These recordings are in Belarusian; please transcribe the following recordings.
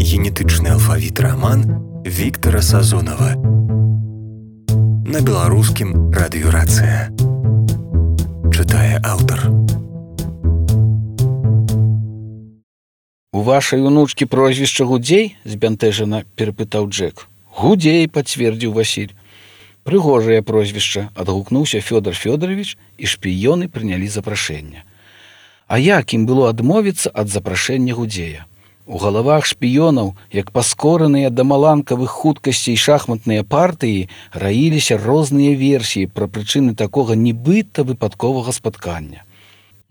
генетычны алфавіт раман Віктара Сазонава. На беларускім радыёрацыя. Чытае аўтар. У вашай унучкі прозвішча Гудзей? Збянтэжана перапытаў Джек. Гудзей, пацвердзіў Васіль. Прыгожае прозвішча, адгукнуўся Фёдор Фёдорович, і шпіёны прынялі запрашэнне. А як ім было адмовіцца ад запрашэння Гудзея? У галавах шпіёнаў, як паскораныя да маланкавых хуткасцей шахматныя партыі, раіліся розныя версіі пра прычыны такога нібыта выпадковага спаткання.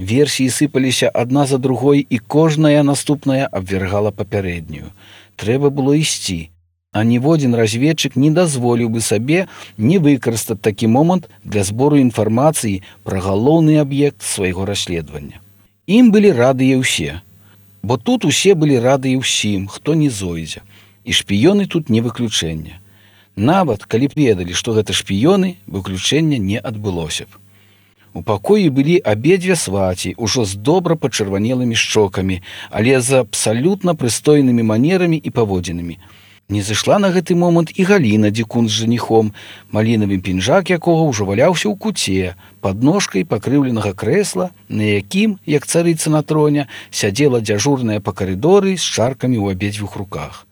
Версіі сыпаліся адна за другой, і кожная наступная абвяргала папярэднюю. Трэба было ісці, а ніводзін разведчык не дазволіў бы сабе не выкарыстаць такі момант для збору інфармацыі пра галоўны аб'ект свайго расследавання. Ім былі радыя ўсе, бо тут усе былі радыя ўсім, хто не зойдзе, і шпіёны тут не выключэнне. Нават, калі б ведалі, што гэта шпіёны, выключэння не адбылося б. У пакоі былі абедзве сваці, ужо з добра пачырванелымі шчокамі, але з абсалютна прыстойнымі манерамі і паводзінамі. Не зайшла на гэты момант і Галіна дзікун з жаніхом, малінавы пінжак якога ўжо валяўся ў куце, пад ножкай пакрыўленага крэсла, на якім, як царыца на троне, сядзела дзяжурная па карыдоры з чаркамі ў абедзвюх руках.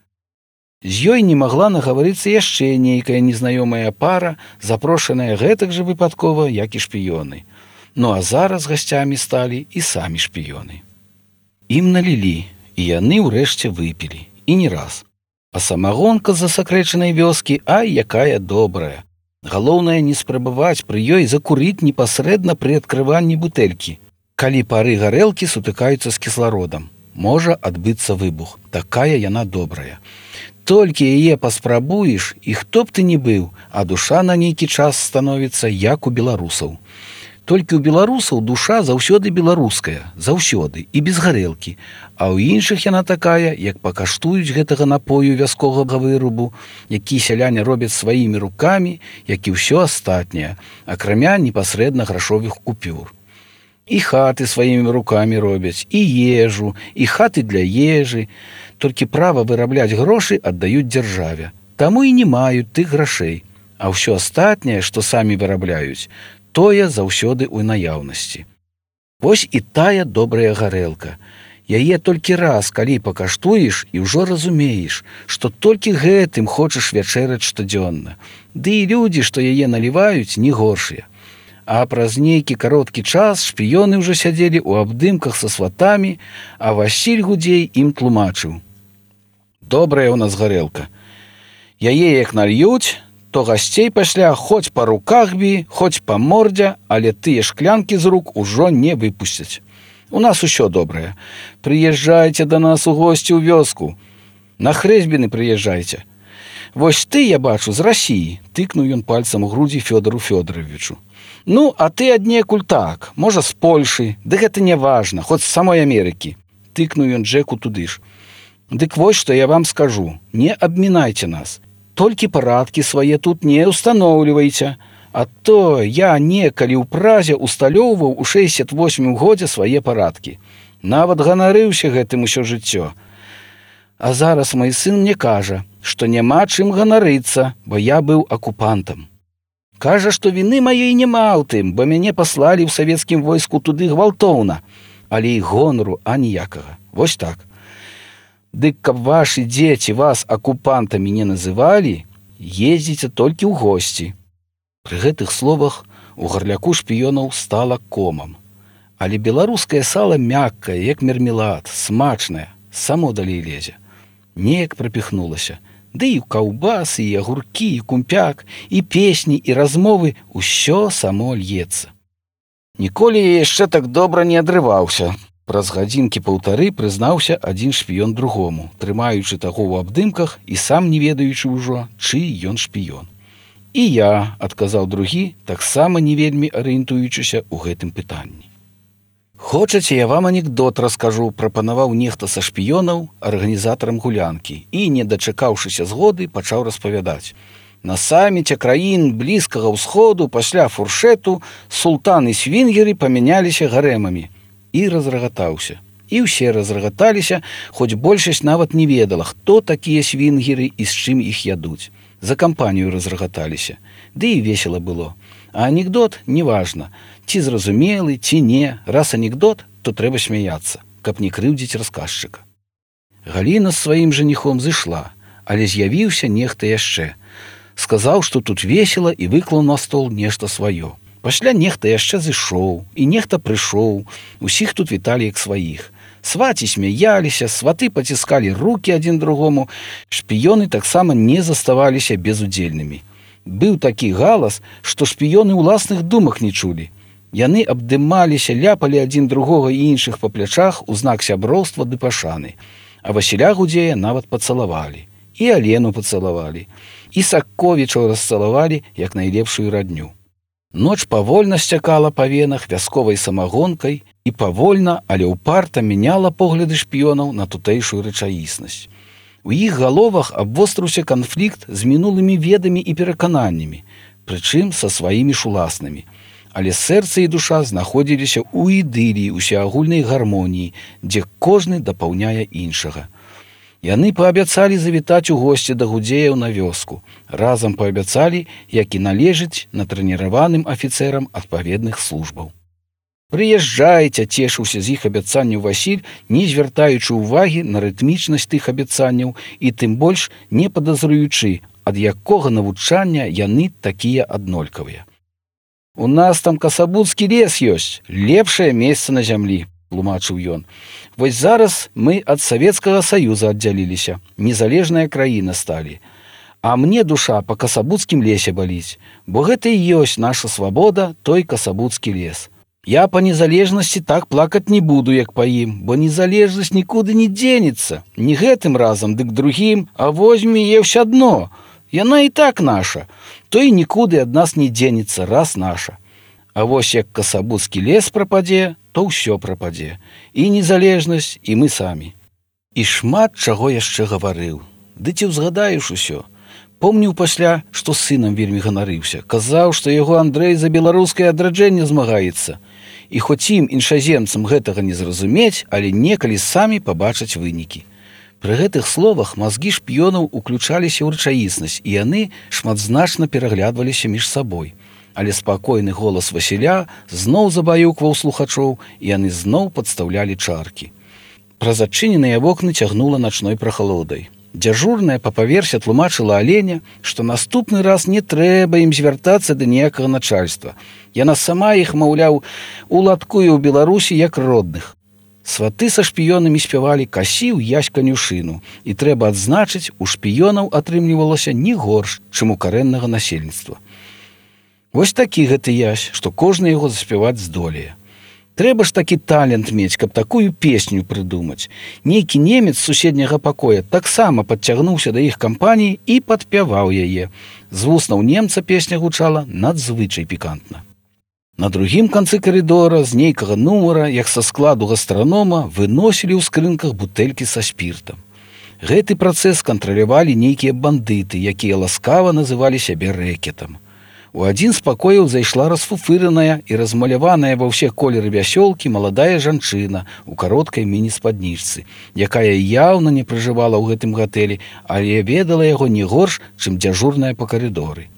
З ёй не магла нагаварыцца яшчэ нейкая незнаёмая пара, запрошаная гэтак жа выпадкова, як і шпіёны. Ну а зараз гасцямі сталі і самі шпіёны. Ім налілі, і яны ўрэшце выпілі, і не раз. А самагонка з засакрэчанай вёскі, ай, якая добрая. Галоўнае не спрабаваць пры ёй закурыць непасрэдна пры адкрыванні бутэлькі. Калі пары гарэлкі сутыкаюцца з кіслародам, можа адбыцца выбух. Такая яна добрая. Толькі яе паспрабуеш, і хто б ты не быў, а душа на нейкі час становіцца як у беларусаў. Толькі ў беларусаў душа заўсёды беларуская, заўсёды, і без гарэлкі, а ў іншых яна такая, як пакаштуюць гэтага напою вясковага вырубу, які сяляне робяць сваімі рукамі, як і ўсё астатняе, акрамя непасрэдна грашовых купюр. І хаты сваімі рукамі робяць, і ежу, і хаты для ежы, толькі права вырабляць грошы аддаюць дзяржаве, таму і не маюць тых грашэй, а ўсё астатняе, што самі вырабляюць, тое заўсёды ў наяўнасці. Вось і тая добрая гарэлка. Яе толькі раз, калі пакаштуеш, і ўжо разумееш, што толькі гэтым хочаш вячэраць штодзённа. Ды і людзі, што яе наліваюць, не горшыя. А праз нейкі кароткі час шпіёны ўжо сядзелі ў абдымках са сватамі, а Васіль Гудзей ім тлумачыў. Добрая ў нас гарэлка. Яе як нальюць, то гасцей пасля хоць па руках бі, хоць па мордзе, але тыя шклянкі з рук ужо не выпусцяць. У нас усё добрае. Прыязджайце да нас у госці ў вёску. На хрэсьбіны прыязджайце. Вось ты, я бачу, з Расіі, тыкнуў ён пальцам у грудзі Фёдору Фёдоровичу. Ну, а ты аднекуль так, можа, з Польшы, ды гэта не важна, хоць з самой Амерыкі. Тыкнуў ён Джеку туды ж. Дык вось, што я вам скажу, не абмінайце нас. Толькі парадкі свае тут не ўстаноўлівайце, а то я некалі ў Празе усталёўваў у 68 годзе свае парадкі. Нават ганарыўся гэтым усё жыццё. А зараз мой сын мне кажа, што няма чым ганарыцца, бо я быў акупантам. Кажа, што віны маёй няма ў тым, бо мяне паслалі ў савецкім войску туды гвалтоўна, але і гонару аніякага. Вось так. Дык каб вашы дзеці вас акупантамі не называлі, ездзіце толькі ў госці. Пры гэтых словах у гарляку шпіёнаў стала комам. Але беларускае сала мяккае, як мермелад, смачнае, само далей лезе. Неяк прапіхнулася. Ды і каўбасы, і агуркі, і кумпяк, і песні, і размовы — усё само льецца. Ніколі я яшчэ так добра не адрываўся. Праз гадзінкі паўтары прызнаўся адзін шпіён другому, трымаючы таго ў абдымках і сам не ведаючы ўжо, чый ён шпіён. І я, адказаў другі, таксама не вельмі арыентуючыся ў гэтым пытанні. Хочаце, я вам анекдот раскажу, прапанаваў нехта са шпіёнаў арганізатарам гулянкі і, не дачакаўшыся згоды, пачаў распавядаць. На саміце краін Блізкага ўсходу пасля фуршэту султаны свінгеры памяняліся гарэмамі. І разрагатаўся. І ўсе разрагаталіся, хоць большасць нават не ведала, хто такія свінгеры і з чым іх ядуць. За кампанію разрагаталіся. Ды і весела было. А анекдот неважна, ці зразумелы, ці не. Раз анекдот, то трэба смяяцца, каб не крыўдзіць расказчыка. Галіна з сваім жаніхом зышла, але з'явіўся нехта яшчэ. Сказаў, што тут весела і выклаў на стол нешта сваё. Пасля нехта яшчэ зышоў, і нехта прыйшоў. Усіх тут віталі як сваіх. Сваці смяяліся, сваты паціскалі рукі адзін другому, шпіёны таксама не заставаліся безудзельнымі. Быў такі галас, што шпіёны ўласных думак не чулі. Яны абдымаліся, ляпалі адзін другога і іншых па плячах у знак сяброўства ды пашаны. А Васіля Гудзея нават пацалавалі. І Алену пацалавалі. І Сакковічаў расцалавалі як найлепшую радню. Ноч павольна сцякала па венах вясковай самагонкай і павольна, але ўпарта мяняла погляды шпіёнаў на тутэйшую рэчаіснасць. У іх галовах абвострыўся канфлікт з мінулымі ведамі і перакананнямі, прычым са сваімі ж уласнымі. Але сэрца і душа знаходзіліся ў ідыліі усеагульнай гармоніі, дзе кожны дапаўняе іншага. Яны паабяцалі завітаць у госці да Гудзеяў на вёску. Разам паабяцалі, як і належыць натрэніраваным афіцэрам адпаведных службаў. «Прыязджайце», цешыўся з іх абяцанняў Васіль, не звяртаючы ўвагі на рытмічнасць тых абяцанняў і тым больш не падазруючы, ад якога навучання яны такія аднолькавыя. «У нас там Касабуцкі лес ёсць, лепшае месца на зямлі», – тлумачыў ён. «Вось зараз мы ад Савецкага Саюза аддзяліліся, незалежная краіна сталі. А мне душа па Касабуцкім лесе баліць, бо гэта і ёсць наша свабода, той Касабуцкі лес. Я па незалежнасці так плакаць не буду, як па ім, бо незалежнасць нікуды не дзенецца. Не гэтым разам, дык другім, а возьме яе ўсё адно. Яна і так наша, то і нікуды ад нас не дзенецца, раз наша. А вось як Касабуцкі лес прападзе, то ўсё прападзе. І незалежнасць, і мы самі». І шмат чаго яшчэ гаварыў. Ды ці ўзгадаеш усё? Помніў пасля, што сынам вельмі ганарыўся. Казаў, што яго Андрэй за беларускае адраджэнне змагаецца. І хоць ім, іншаземцам, гэтага не зразумець, але некалі самі пабачаць вынікі. Пры гэтых словах мазгі шпіёнаў уключаліся ў рэчаіснасць, і яны шматзначна пераглядваліся між сабой. Але спакойны голас Васіля зноў забаюкваў слухачоў, і яны зноў падстаўлялі чаркі. Праз адчыненыя вокны цягнула начной прахалодай. Дзяжурная па паверсе тлумачыла Алене, што наступны раз не трэба ім звяртацца да ніякага начальства. Яна сама іх, маўляў, уладкуе ў Беларусі як родных. Сваты са шпіёнамі спявалі «Касіў ясь канюшыну», і трэба адзначыць, у шпіёнаў атрымлівалася не горш, чым у карэннага насельніцтва. Вось такі гэты ясь, што кожны яго заспяваць здолее. Трэба ж такі талент мець, каб такую песню прыдумаць. Нейкі немец з суседняга пакоя таксама падцягнуўся да іх кампаніі і падпяваў яе. З вуснаў немца песня гучала надзвычай пікантна. На другім канцы карыдора з нейкага нумара, як са складу гастранома, выносілі ў скрынках бутэлькі са спіртам. Гэты працэс кантралявалі нейкія бандыты, якія ласкава называлі сябе рэкетам. У адзін з пакояў зайшла расфуфыраная і размаляваная ва ўсе колеры вясёлкі маладая жанчына у кароткай міні-спаднічцы, якая яўна не пражывала ў гэтым гатэлі, але ведала яго не горш, чым дзяжурная па карыдоры.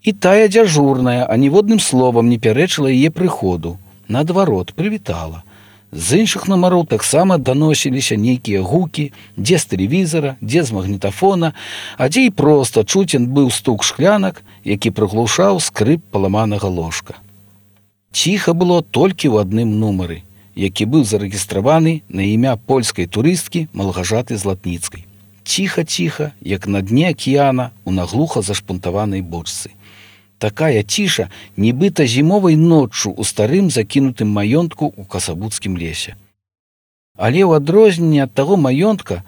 І тая дзяжурная аніводным словам не пярэчыла яе прыходу, наадварот, прывітала. З іншых нумароў таксама даносіліся нейкія гукі, дзе з тэлевізара, дзе з магнітафона, а дзе і проста чуцен быў стук шклянак, які прыглушаў скрып паламанага ложка. Ціха было толькі ў адным нумары, які быў зарэгістраваны на імя польскай турысткі Малгажаты Златніцкай. Ціха-ціха, як на дне акіяна у наглуха зашпунтаванай бочцы. Такая ціша, нібыта зімовай ноччу ў старым закінутым маёнтку ў Касабуцкім лесе. Але ў адрозненне ад таго маёнтка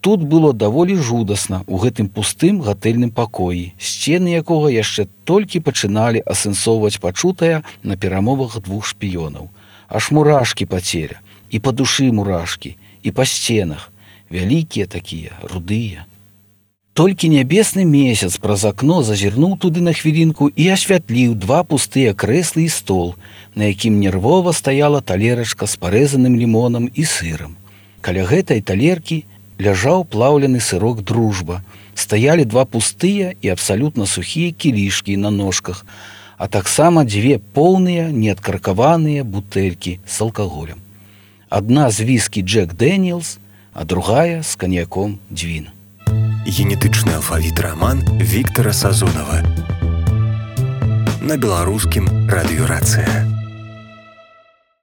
тут было даволі жудасна ў гэтым пустым гатэльным пакоі, сцены якога яшчэ толькі пачыналі асэнсоўваць пачутае на перамовах двух шпіёнаў. Аж мурашкі па целе, і па душы мурашкі, і па сценах, вялікія такія, рудыя. Толькі нябесны месяц праз акно зазірнуў туды на хвілінку і асвятліў 2 пустыя крэслы і стол, на якім нервова стаяла талерачка з парэзаным лімонам і сырам. Каля гэтай талеркі ляжаў плаўлены сырок «Дружба». Стаялі 2 пустыя і абсалютна сухія кілішкі на ножках, а таксама 2 поўныя, неадкаркаваныя бутэлькі з алкаголем. Адна з віскі «Джек Дэніелс», а другая з каньяком «Дзвін». Генетычны алфавіт раман Віктара Сазонава. На беларускім радыёрацыя.